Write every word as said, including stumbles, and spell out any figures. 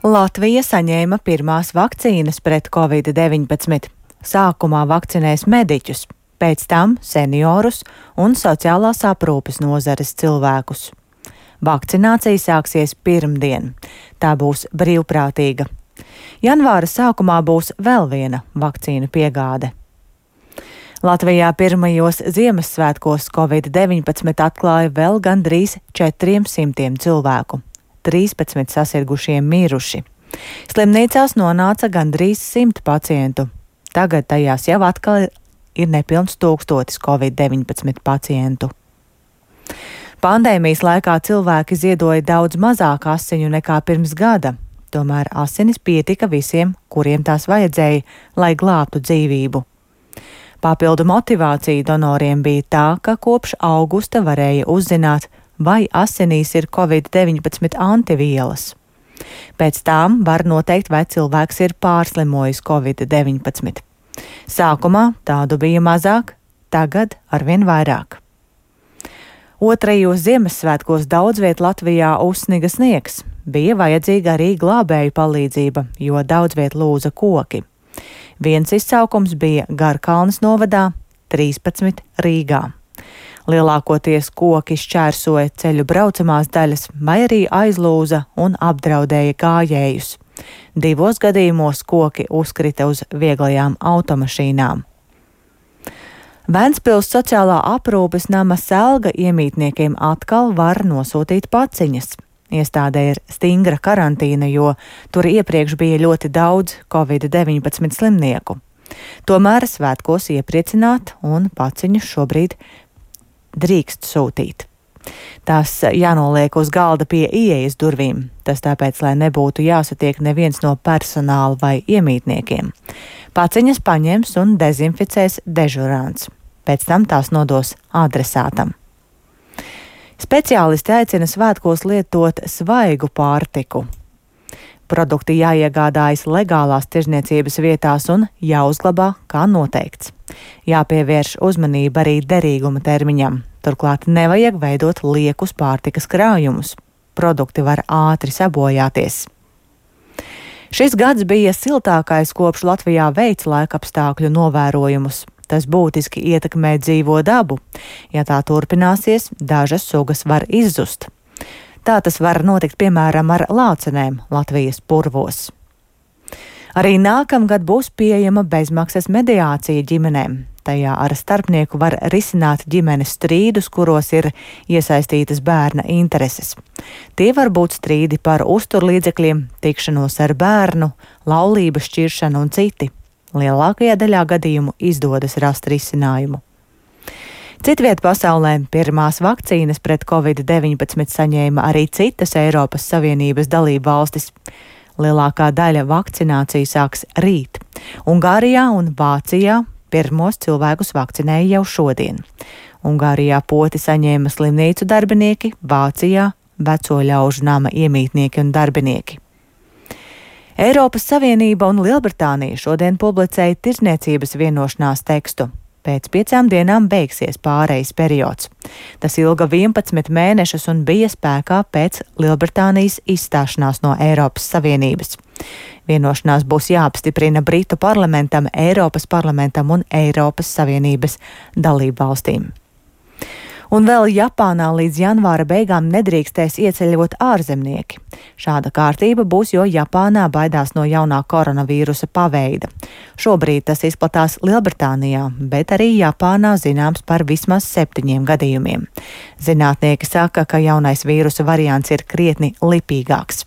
Latvija saņēma pirmās vakcīnas pret covid deviņpadsmit. Sākumā vakcinēs mediķus, pēc tam seniorus un sociālās aprūpes nozares cilvēkus. Vakcinācija sāksies pirmdien. Tā būs brīvprātīga. Janvāra sākumā būs vēl viena vakcīnu piegāde. Latvijā pirmajos Ziemassvētkos covid deviņpadsmit atklāja vēl gandrīz četriem simtiem cilvēku. trīspadsmit sasirgušie miruši. Slimnīcās nonāca gandrīz simt pacientu. Tagad tajās jau atkal ir nepilns tūkstotis covid deviņpadsmit pacientu. Pandēmijas laikā cilvēki ziedoja daudz mazāk asiņu nekā pirms gada. Tomēr asinis pietika visiem, kuriem tās vajadzēja, lai glābtu dzīvību. Papildu motivācija donoriem bija tā, ka kopš augusta varēja uzzināt, vai asinīs ir covid deviņpadsmit antivielas. Pēc tām var noteikt, vai cilvēks ir pārslimojis covid deviņpadsmit. Sākumā tādu bija mazāk, tagad arvien vairāk. Otrajos Ziemassvētkos daudz viet Latvijā uzsniga sniegs. Bija vajadzīga arī glābēju palīdzība, jo daudz viet lūza koki. Viens izsaukums bija Garkalnes novadā, trīspadsmit Rīgā. Lielākoties koki šķērsoja ceļu braucamās daļas vai arī aizlūza un apdraudēja gājējus. Divos gadījumos koki uzkrita uz vieglajām automašīnām. Ventspils sociālā aprūpes nama Selga iemītniekiem atkal var nosūtīt paciņas. Iestādē ir stingra karantīna, jo tur iepriekš bija ļoti daudz covid deviņpadsmit slimnieku. Tomēr svētkos iepriecināt un paciņus šobrīd drīkst sūtīt. Tās jānoliek uz galda pie ieejas durvīm. Tas tāpēc, lai nebūtu jāsatiek neviens no personāla vai iemītniekiem. Paciņas paņems un dezinficēs dežurants. Pēc tam tās nodos adresātam. Speciālisti aicina svētkos lietot svaigu pārtiku. Produkti jāiegādājas legālās tirzniecības vietās un jāuzglabā, kā noteikts. Jāpievērš uzmanība arī derīguma termiņam. Turklāt nevajag veidot liekus pārtikas krājumus. Produkti var ātri sabojāties. Šis gads bija siltākais, kopš Latvijā veic laikapstākļu novērojumus. Tas būtiski ietekmē dzīvo dabu. Ja tā turpināsies, dažas sugas var izzust. Tā tas var notikt piemēram ar lācenēm Latvijas purvos. Arī nākamgad būs pieejama bezmaksas mediācija ģimenēm. Tajā ar starpnieku var risināt ģimenes strīdus, kuros ir iesaistītas bērna intereses. Tie var būt strīdi par uzturlīdzekļiem, tikšanos ar bērnu, laulības šķiršanu un citi. Lielākajā daļā gadījumu izdodas rast risinājumu. Citviet pasaulē pirmās vakcīnas pret covid deviņpadsmit saņēma arī citas Eiropas Savienības dalību valstis. Lielākā daļa vakcināciju sāks rīt. Ungārijā un Vācijā pirmos cilvēkus vakcinēja jau šodien. Ungārijā poti saņēma slimnīcu darbinieki, Vācijā veco ļaužu nama iemītnieki un darbinieki. Eiropas Savienība un Lielbritānija šodien publicēja tirdzniecības vienošanās tekstu. Pēc piecām dienām beigsies pārejas periods. Tas ilga vienpadsmit mēnešus un bija spēkā pēc Lielbritānijas izstāšanās no Eiropas Savienības. Vienošanās būs jāapstiprina Britu parlamentam, Eiropas parlamentam un Eiropas Savienības dalību valstīm. Un vēl Japānā līdz janvāra beigām nedrīkstēs ieceļot ārzemnieki. Šāda kārtība būs, jo Japānā baidās no jaunā koronavīrusa paveida. Šobrīd tas izplatās Lielbritānijā, bet arī Japānā zināms par vismaz septiņiem gadījumiem. Zinātnieki saka, ka jaunais vīrusa variants ir krietni lipīgāks.